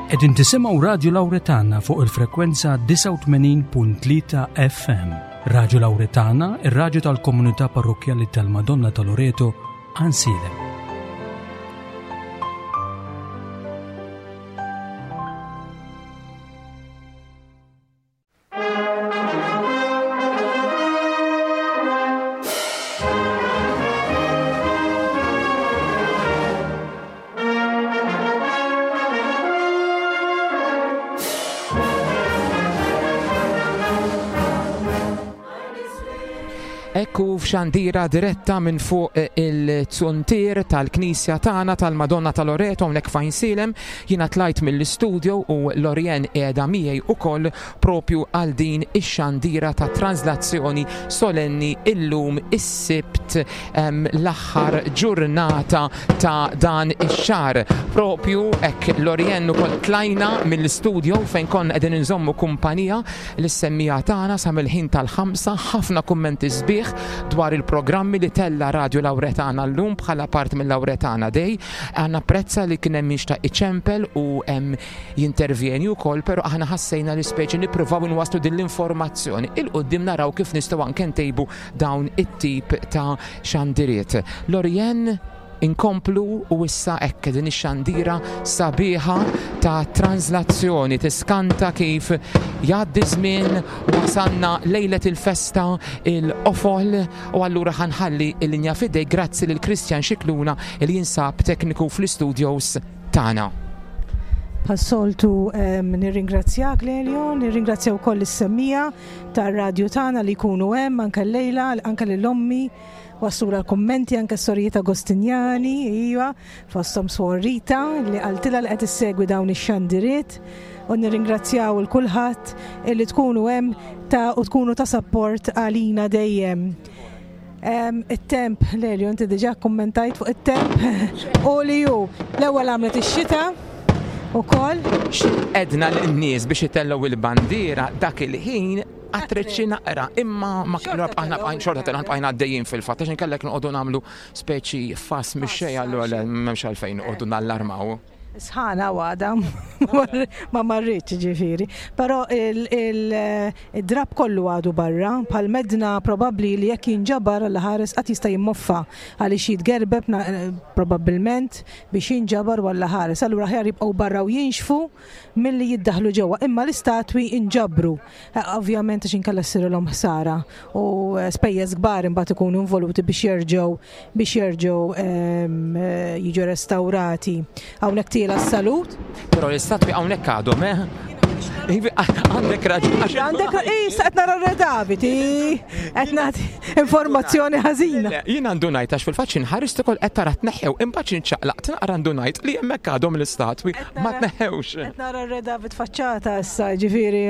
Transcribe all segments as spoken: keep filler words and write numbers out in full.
Qegħdin tisimgħu Radio Lauretana fuq il-frekwenza disgħa u tmenin punt tlieta F M. Radio Lauretana, ir-raġu tal-komunità parrokjali tal-Madonna ta' Loreto, Għajnsielem. Ekku f'xandira diretta minn fuq il-zuntier tal-Knisja tagħna tal-Madonna ta' Loreto hawnhekk f'Għajnsielem. Jiena tlajt mill-istudio u Lorien qiegħda miegħi ukoll propju għal din ix-xandira ta' translazzjoni solenni illum is-Sibt, l-aħħar ġurnata ta' dan ix-xahar. Propju hekk, Lorien, ukoll tlajna mill-istudio fejn konna qegħdin inżommu kumpanija lis-semmiegħa tagħna sa mill-ħin tal-ħamsa, ħafna kummenti sbieħ dwar il-programmi li tella Radio Lauretana llum bħala part mill-Lauretana Day. Għanna prezza li kien hemm ta' iċempel u jintervjeni wkoll, però aħna ħassejna li speċi nippruvaw inwasslu din l-informazzjoni. 'Il quddiem naraw kif nistgħu anke ntejbu dawn it-tip ta' xandiriet. Lorien, inkomplu u issa hekk din ix-xandira sabiħa ta' translazzjoni, tiskanta kif jgħaddi żmien, wasalna lejlet il-festa, il-qofol, u allura ħa nħalli il-linja f'idejk, grazzi lil Christian Xikluna li jinsab tekniku fl-studios tagħna. Bħas-soltu nirringrazzjak, Lelio, nirringrazzja wkoll is-semmiegħa tar-radju tagħna li jkunu hemm anke llejla, anke lil ommi waslula l-kommenti, anke s-sorijiet Agostinjani, iva, fosthom Suor Rita li qaltilha li qed issegwi dawn ix-xandiriet, u nirringrazzjaw il kulħadd li tkunu hemm ta' u tkunu ta' support għalina dejjem. It-temp, Lelio, inti diġà kommentajt fuq it-temp u li ju l-ewwel għamlet ix-xita ukoll. Għedna lin-nies biex itellgħu il-bandiera dak il-ħin għatreċi naqra, imma ma aħna bqajn xorta telgħan, bqajna għaddejjin fil-fatt, għax inkellek noqogħdu nagħmlu speċi fas mix-xejn, allura m'hemmx għalfejn noqogħdu nallarmaw. Sħana għada, ma marritx ġifieri. Però il-drab kollu għadu barra, bħal medna probabli li jekk jinġabar għal ħares qatt jista' jimmoffa għaliex jitgerbeb probabbilment biex jinġabar għal ħares. Allura aħjar jibqgħu barra u jinxfu milli jiddaħlu ġewwa. Imma l-istatwi inġabru. Ovvjament għax inkella ssirilhom ħsara u spejjeż kbar imbagħad ikunu involuti biex jerġgħu biex jerġgħu jiġu restawrati. Hawnhekk tiela s-salut. Però l-istatwi hawnhekk għadhom, eh? Għandek raġun. Għandek raġun, issa qed nara r-Re David, qed nagħti informazzjoni ħażina. Jien għandu ngħid għax fil-fatt inħares ukoll qed tara tneħħew, imbagħad inċaqlaqt naqra ndunajt li hemmhekk għadhom l-istatwi, ma tneħħewx. Qed nara r-Re David faċċata issa, ġifieri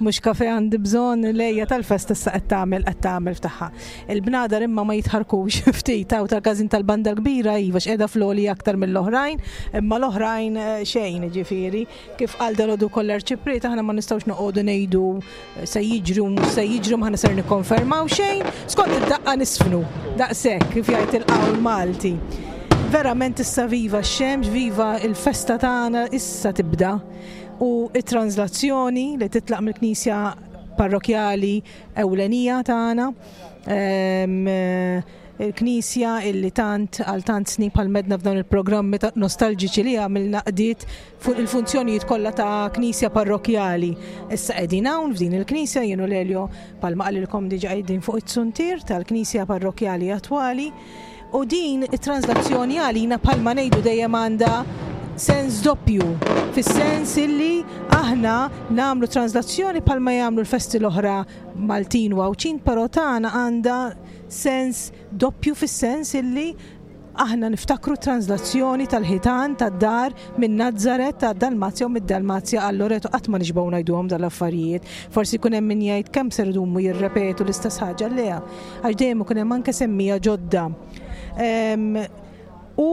mhux kafe għandi bżonn, lejja tal-festa issa qed tagħmel qed tagħmel ftaħħa. Il-bnadar imma ma jitħarkux ftit hawn tal-każin tal-banda kbira, iva, x'qiegħda floli aktar mill-oħrajn, imma l-oħrajn xejn, ġifieri. Kif qal dalgħodu kollha arċipriet, aħna ma nistgħux noqogħdu ngħidu se jiġru mhux se jiġru, ma ser nikkonfermaw xejn, skont id-daqqa nisfnu. Daqshekk kif jgħid il-qawl Malti. Verament issa viva x-xemx, viva il-festa tagħna issa tibda. U it-translazzjoni li titlaq mill-Knisja parrokjali ewlenija tagħna. Il-Knisja illi tant għal tant snin bħal medna f'dawn il-programmi ta' nostalġiċi li għamilna qdiet fuq il-funzjonijiet kollha ta' Knisja parrokjali. Issa qegħdin hawn f'din il-Knisja, jien u Lelio, bħalma qalilkom diġà, qegħdin fuq it-suntier tal-Knisja parrokjali attwali. U din it-translazzjoni għalina, bħalma ngħidu dejjem, għandha sens doppju, fis-sens illi aħna nagħmlu translazzjoni bħalma jagħmlu l-festi l-oħra Maltin u Għawdxin, però tagħna għandha sens doppju fis-sens illi aħna niftakru translazzjoni tal-ħitan tad-dar minn Nazzaret ta' Dalmazja u mid-Dalmazja għal Loreto. Qatt ma nixbgħu ngħiduhom dal-affarijiet. Forsi jkun hemm min jgħid kemm ser idumu jirrepetu l-istess ħaġa, le, għax dejjem ikun hemm anke semmiegħa ġodda. U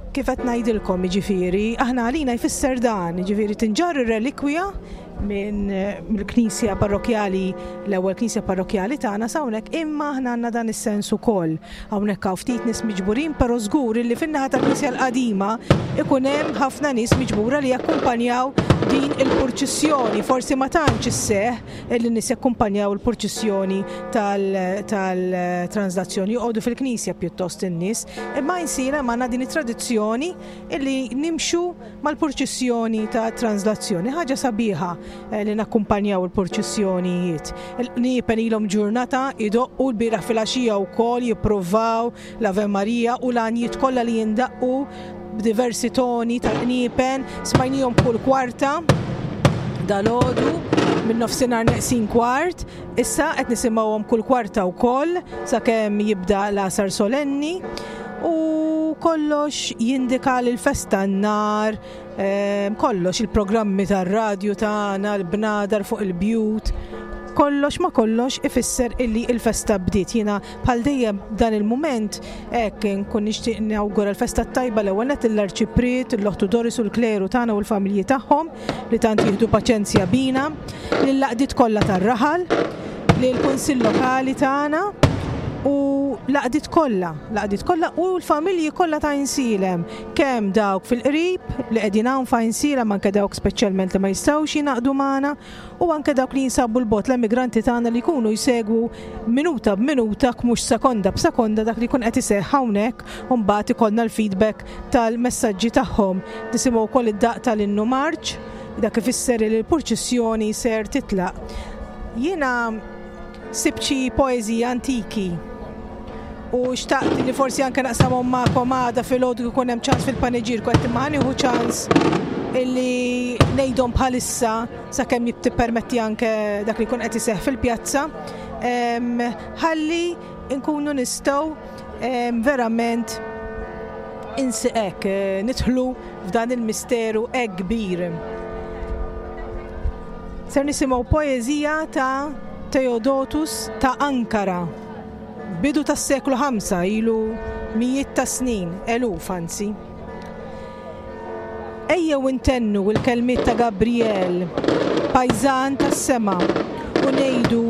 kif qed ngħidilkom, jiġifieri, aħna għalina jfisser dan, jiġifieri tinġarr ir-relikwija minn mill-knisja parrokjali, l-ewwel knisja parrokjali tagħna s'hawnhekk, imma aħna għandna dan is-sens ukoll. Hawnhekk hawn ftit nies miġburin, però żgur li fin-naħa tal-knisja l-qadima ikun hemm ħafna nies miġbura li jakkumpanjaw din il-purċissjoni. Forsi ma tantx isseħħ li nies jakkumpanjaw il-purċissjoni tal-translazzjoni, joqogħdu fil-knisja pjuttost in-nies, imma Għajnsielem għandna din it-tradizzjoni illi nimxu mal-purċissjoni ta' translazzjoni. Ħaġa sabiħa eh, li nakkumpanjaw il-purċissjonijiet. Il-qniepen ilhom ġurnata idoqqu l-bieraħ filgħaxija wkoll jippruvaw l-Ave Maria u l-għanjiet kollha li jindaqqu b'diversi toni tal-qniepen, smajnihom kull kwarta dalgħodu minn nofsinhar neqsin kwart, issa qed nisimgħuhom kull kwarta wkoll sakemm jibda l-għasar solenni u kollox jindika li l-festa n-nar, ehm, kollox il-programmi tar-radju tagħna, l-bnadar fuq il-bjut, kollox ma kollox ifisser illi il-festa bdiet. Jiena bħal dejjem dan il-mument hekk nkun nixtieq nawgura l-festa tajba l-ewwel nett l-Arċipriet, l-Oħtu Doris u l-kleru tagħna u l-familji tagħhom li tant jieħdu paċenzja bina, lill-għaqdiet kollha tar-raħal, lill-Kunsill Lokali tagħna u l-għaqdiet kollha, l-għaqdiet kollha u l-familji kollha ta' Għajnsielem, kemm dawk fil-qrib li qegħdin hawn f'Għajnsielem, anke dawk speċjalment li ma jistgħux jingħaqdu magħna, u anke dawk li jinsabu l-bogħod, l-emigranti tagħna li jkunu jsegwu minuta b'minuta, mhux sekonda b'sekonda dak li jkun qed iseħħ hawnhekk, u mbagħad ikollna l-feedback tal-messaġġi tagħhom. Nisimgħu wkoll id-daqq tal-innu marċ, dak ifisser li l-purċissjoni ser titlaq. Jiena sibt xi poeżiji antiki u xtaqt li forsi anke naqsamhom magħkom għada filgħodu jkun hemm ċans fil-paniġierku, qed imma ħa nieħu ċans illi ngħidhom bħalissa sakemm jippermetti anke dak li jkun qed iseħħ fil-pjazza, ħalli nkunu nistgħu verament insiqek nidħlu f'dan il-misteru hekk kbir. Ser nisimgħu poeżija ta' Theodotus ta' Ankara, bidu tas-seklu ħamsa, ilu mijiet ta' snin, eluf anzi. Ejjew intennu l-kelmiet ta' Gabriel, pajżan tas-sema, u ngħidu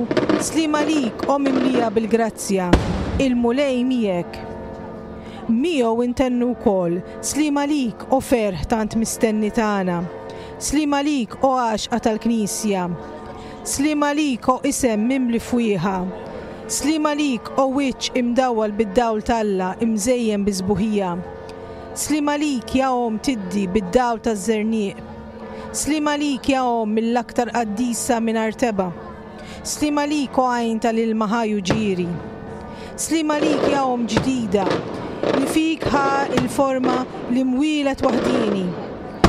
sliem għalik o mimlija bil-grazzja, il-Mulej miegħek. Miegħu intennu wkoll sliem għalik o ferħ tant mistenni tagħna, sliem għalik o għaxqa tal-Knisja, sliem għalik o isem mimli fwieħa, sliem għalik o wiċċ imdawwal bid-dawl t'Alla imżejjen bi sbuħija. Sliem għalik ja omm tiddi bid-dawl taż-żerniq. Sliem għalik ja omm mill-aktar qaddisa mingħajr tebgħa. Sliem għalik o għajn tal-ilma ħaj u ġieri. Sliem għalik ja omm ġdida li fik ħa il-forma li mwielet waħdini.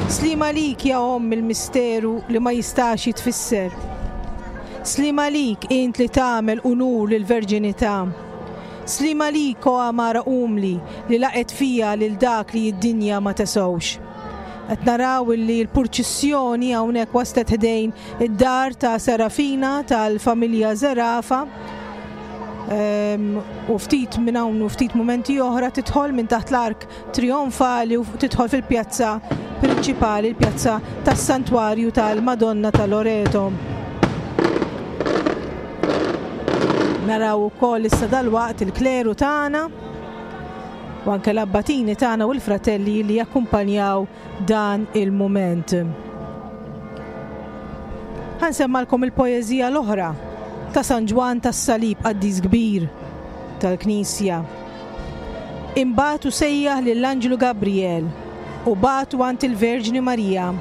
Sliem għalik ja omm il-misteru li ma jistax jitfisser. Sliem għalik int li tagħmel unur lill-verġinità. Sliem għalik o għamara umli li laqgħet fija lil dak li d-dinja ma tesgħux. Qed naraw illi l-purċissjoni hawnhekk waslet ħdejn id-dar ta' Serafina tal-familja Zerafa. U ftit minn hawn u ftit mumenti oħra tidħol minn taħt l-ark trionfali u tidħol fil-pjazza prinċipali, il-pjazza tas-Santwarju tal-Madonna ta' Loreto. Naraw ukoll issa dalwaqt il-kleru tagħna u anke l-abbatini tagħna u l-fratelli li jakkumpanjaw dan il-mument. Ħansemmalkom il-poeżija l-oħra ta' San Ġwann tas-Salib, qaddis kbir tal-Knisja. Imbagħad u sejjaħ lill-Anġlu Gabriel u bagħtu għand il-Verġni Marija,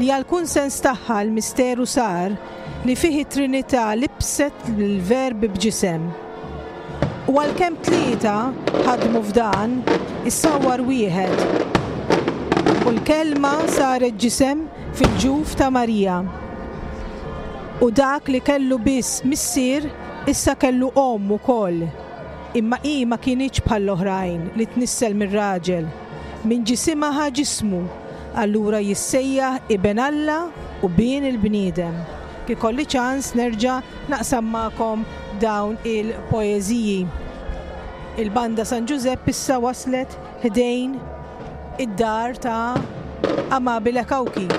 li għall-kunsens tagħha l-misteru sar li fih it-Trinità libset l-Verb b'ġisem. U għalkemm tlieta ħadmu f'dan, issawwar wieħed. U l-kelma saret ġisem fil-ġuf ta' Marija. U dak li kellu biss missier issa kellu omm ukoll. Imma hi ma kinitx bħall-oħrajn li tnissel mir-raġel. Minn ġisimha ħa ġismu, allura jissejjaħ Iben Alla u Bin il-bniedem. Kif ikolli ċans nerġa' naqsam magħkom dawn il-poeżiji. Il-banda San Ġużepp issa waslet ħdejn id-dar ta' Amabile Cauchi.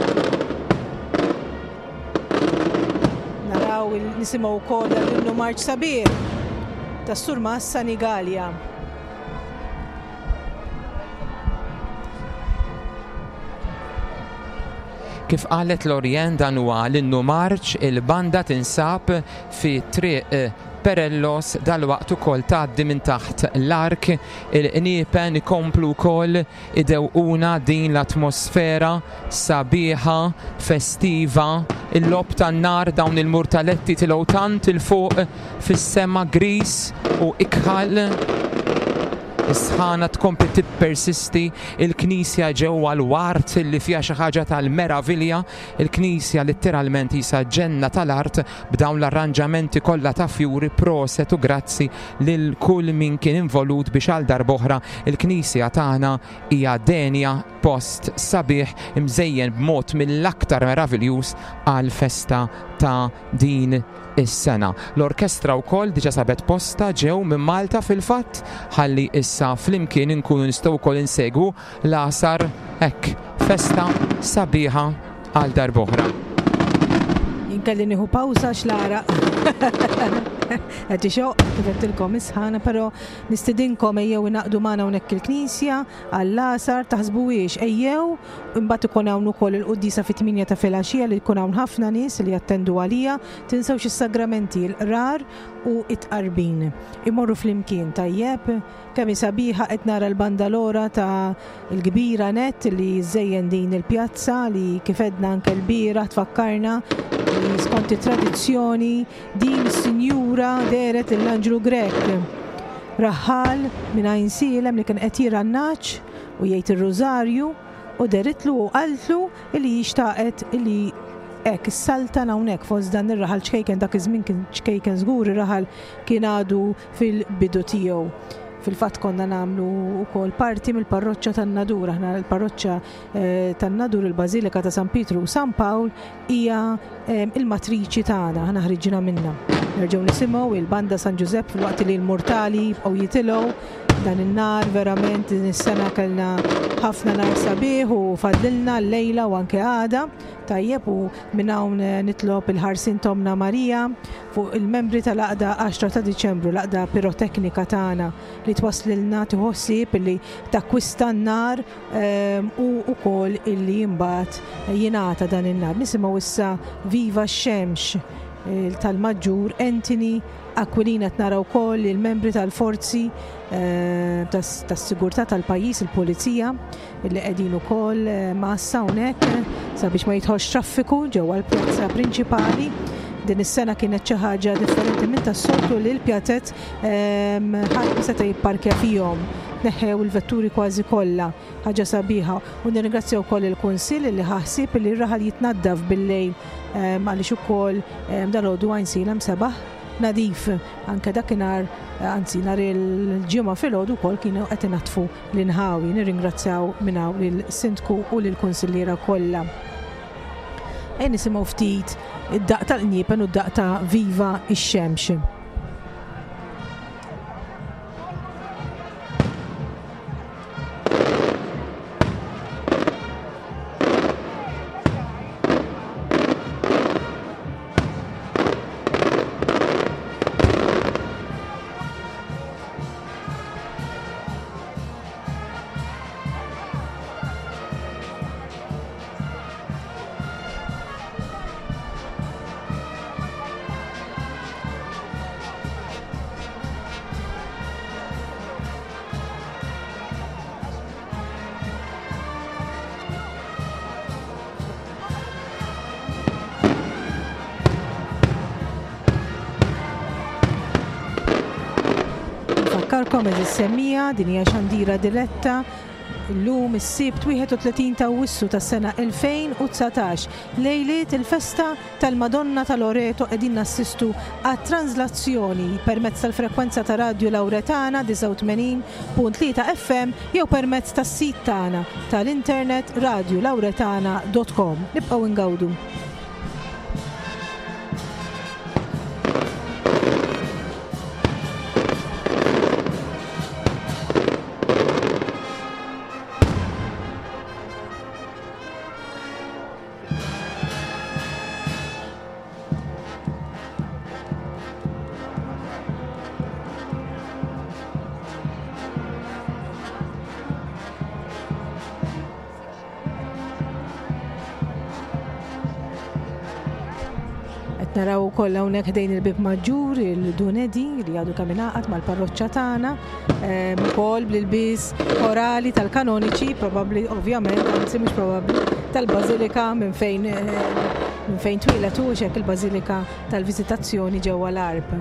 Naraw nisimgħu wkoll l-innu marċ sabiħ tas-Surmas Sanigallia. Kif qalet Lorien, dan huwa l-innu marċ, il-banda tinsab fi triq Perellos, dalwaqt ukoll tgħaddi minn taħt l-ark, il-qniepen ikomplu wkoll idewquna din l-atmosfera sabiħa, festiva, il-lob tan-nar, dawn il-murtaletti tilgħu tant il fuq fis-sema gris u ikħal. Is-sħana tkompli tippersisti, il-knisja ġewwa l-wart li fiha xi ħaġa tal-meravilja, il-knisja letteralment isa ġenna tal-art b'dawn l-arranġamenti kollha ta' fjuri, proset u grazzi lil kull min kien involut biex għal darb'oħra il-knisja tagħna hija denja post sabiħ imżejjen b'mod mill-aktar meraviljuż għal festa ta' din is-sena. L-orkestra wkoll diġà sabet posta ġew minn Malta fil-fatt, ħalli issa flimkien inkunu nistgħu wkoll insegwu l-għasar hekk festa sabiħa għal darb'oħra. Inkelli nieħu pawża x'l-għaraq. Qed ixoq kif qedtilkom is-sħana, però nistidinkom ejjew ingħaqdu magħna hawnhekk il-knisja għall-għasar, taħsbuhiex ejjew, imbagħad ikun hawn ukoll il-quddiesa fit-tmienja ta' filgħaxija li jkun hawn ħafna nies li jattendu għalija. Tinsewx is-sagramenti, il-qrar u it-tqarbin. Imorru flimkien tajjeb. Kemm hi sabiħa qed nara l-bandalora ta' l-kbira net li żejjen din il-pjazza li kif edna anke l-bieraħ tfakkarna li skont it-tradizzjoni din is-sinjura dehret lill-Anġlu Grek. Raħal minn Għajnsielem li kien qed jira n-naċ u jgħid ir-rużarju u deritlu u qaltlu li xtaqet li hekk is-saltan hawnhekk fost dan ir-raħal ċkejken, dak iż-żmien kien ċkejken żgur, ir-raħal kien għadu fil-bidu tiegħu. Fil-fatt konna nagħmlu wkoll parti mill-parroċċa tan-Nadur. Aħna l-parroċċa, eh, tan-Nadur, il-Bażilika ta' San Pietru u San Pawl hija, eh, il-matriċi tagħna, aħna ħriġna minnha. Nerġgħu nisimgħu il-Banda San Ġużepp filwaqt li l-mortali jibqgħu jitilgħu dan in-nar. Verament din is-sena kellna ħafna nar sabiħ u fadlilna l-lejla u anke għada. Tajjeb, u minn hawn nitlob il-ħarsin Tomna Marija fuq il-membri tal-għaqda għaxra ta' Diċembru, l-għaqda piroteknika tagħna li twaslilna tħossib li takkwista n-nar, ehm, u wkoll illi imbagħad jingħata dan in-nar. Nisimgħu issa Viva x-Xemx, eh, tal-Maġġur Anthony Aquilina. Qed naraw wkoll il-membri tal-forzi, eh, tas-, tas-sigurtà tal-pajjiż, il-pulizija, li qegħdin ukoll, eh, massa hawnhekk sabiex ma jidħolx traffiku ġewwa l-pjazza prinċipali. Din is-sena kienet xi ħaġa differenti minn tas-soltu li l-pjazet, ehm, ħadd ma seta' jipparkja fihom. Neħħew il-vetturi kważi kollha, ħaġa sabiħa. U nirringrazzja wkoll il-Kunsill li ħassib li r-raħal jitnaddaf bil-lejl, ehm, għaliex ukoll, ehm, dalgħodu Għajnsielem sebaħ nadif. Anke dakinhar, anzi nhar il-ġimgħa filgħodu wkoll kienu qed inaddfu l-inħawi. Nirringrazzjaw minn hawn lill-Sindku u lill-Kunsilliera kollha. Ejja nisimgħu ftit id-daqq tal-qniepen u d-daqq ta' Viva x-Xemx. Nfakkarkom eżis semmija, din hija xandira diretta llum is-Sibt wieħed u tletin ta' Awwissu tas-sena elfejn u dsatax, lejliet il-festa tal-Madonna ta' Loreto. Qegħdin nassistu għat-translazzjoni permezz tal-frekwenza ta' Radio Lauretana disgħa u tmenin punt tlieta F M jew permezz tas-sit tagħna tal-internet radio lauretana dot com. Nibqgħu ngawdu. Naraw ukoll hawnhekk ħdejn il-Bib Maġġur il-Dunedi li għadu kemm ingħaqad mal-parroċċa tagħna, ukoll bl-ilbies korali tal-kanoniċi, probabbli ovvjament, anzi mhux probabbli, tal-Bażilika minn fejn minn fejn twieled hu hekk il-Bażilika tal-Viżitazzjoni ġewwa l-Għarb.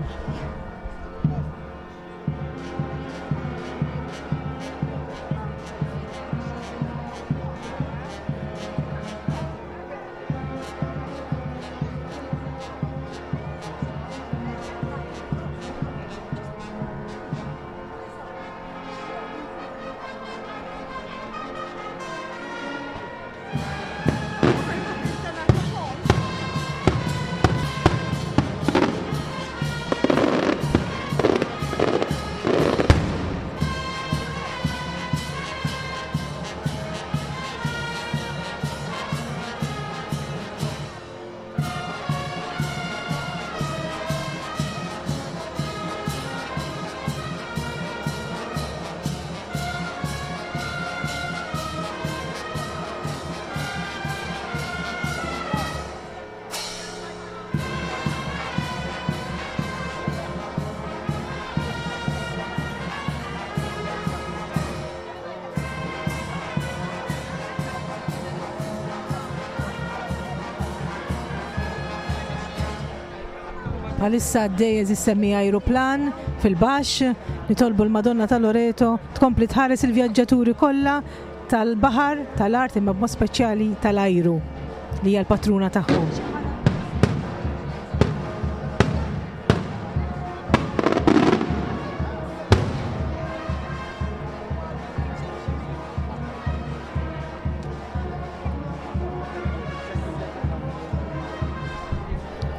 Bħalissa għaddej eżistemmi ajruplan fil-baxx, nitolbu l-Madonna ta' Loreto tkompli tħares il-vjaġġaturi kollha tal-baħar, tal-art imma b'mod speċjali tal-ajru li hija l-patruna tagħhom.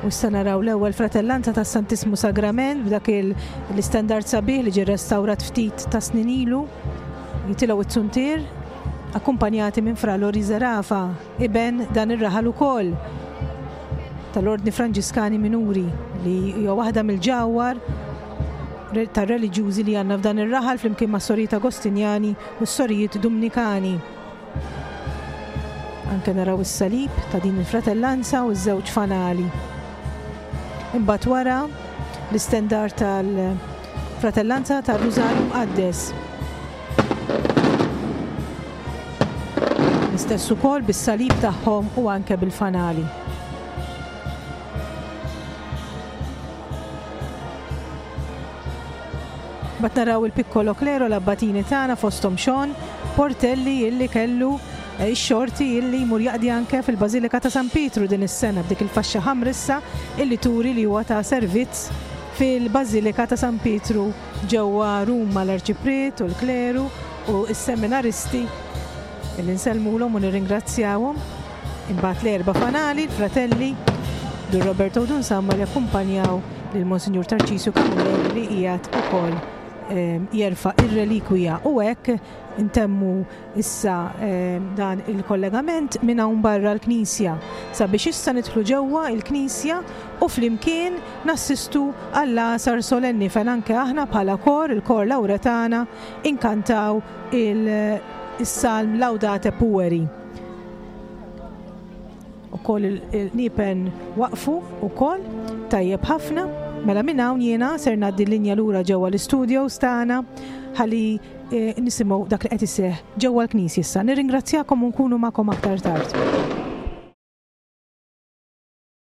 U issa naraw l-ewwel fratellanza tas Santismu Sagrament b'dak l-istandard sabiħ li ġie restawrat ftit ta' snin ilu, jitilgħu it-suntier, akkumpanjati minn Fra Lori Zerafa, iben dan ir-raħal ukoll tal-Ordni Franġiskani Minuri li hija waħda mill-ġawhar tar-reliġjużi li għandna f'dan ir-raħal flimkien ma' sorijiet Agostinjani u s-sorijiet Dumnikani. Anke naraw is-salib ta' din il-fratellanza u ż-żewġ fanali. Imbagħad wara l-istendard tal-fratellanza tar-Rużarju Mqaddes. L-istess ukoll bis-salib tagħhom u anke bil-fanali. Mbagħad naraw il-Piccolo Clero l-abbatini tagħna fosthom Sean Portelli illi kellu ix-xorti illi jmur jaqdi anke fil-Bażilika ta' San Pietru din is-sena b'dik il-faxxa ħamrissa illi turi li huwa ta' servizz fil-Bażilika ta' San Pietru ġewwa Ruma l-Arċipriet u l-Kleru u s-seminaristi illi nsellmulhom u nirringrazzjawhom. Imbagħad l-erba' fanali, l-fratelli Dun Roberto u Dun Samma li akkumpanjaw lil Monsinjur Tarċisju Camilleri li qiegħed ukoll jerfa' ir-relikwija u hekk intemmu issa dan il-kollegament minn hawn barra l-Knisja sabiex issa nidħlu ġewwa l-Knisja u flimkien nassistu għall-għasar solenni fejn anke aħna bħala kor, il-kor Lauretana, inkantaw il-salm Laudate Pueri. Ukoll il-nipen waqfu ukoll tajjeb ħafna. Mela minn hawn jiena ser ngħaddi l-linja lura ġewwa l-istudios tagħna ħalli nisimgħu dak li qed iseħħ ġewwa l-Knisja issa. Nirringrazzjakom u nkunu magħkom aktar tard.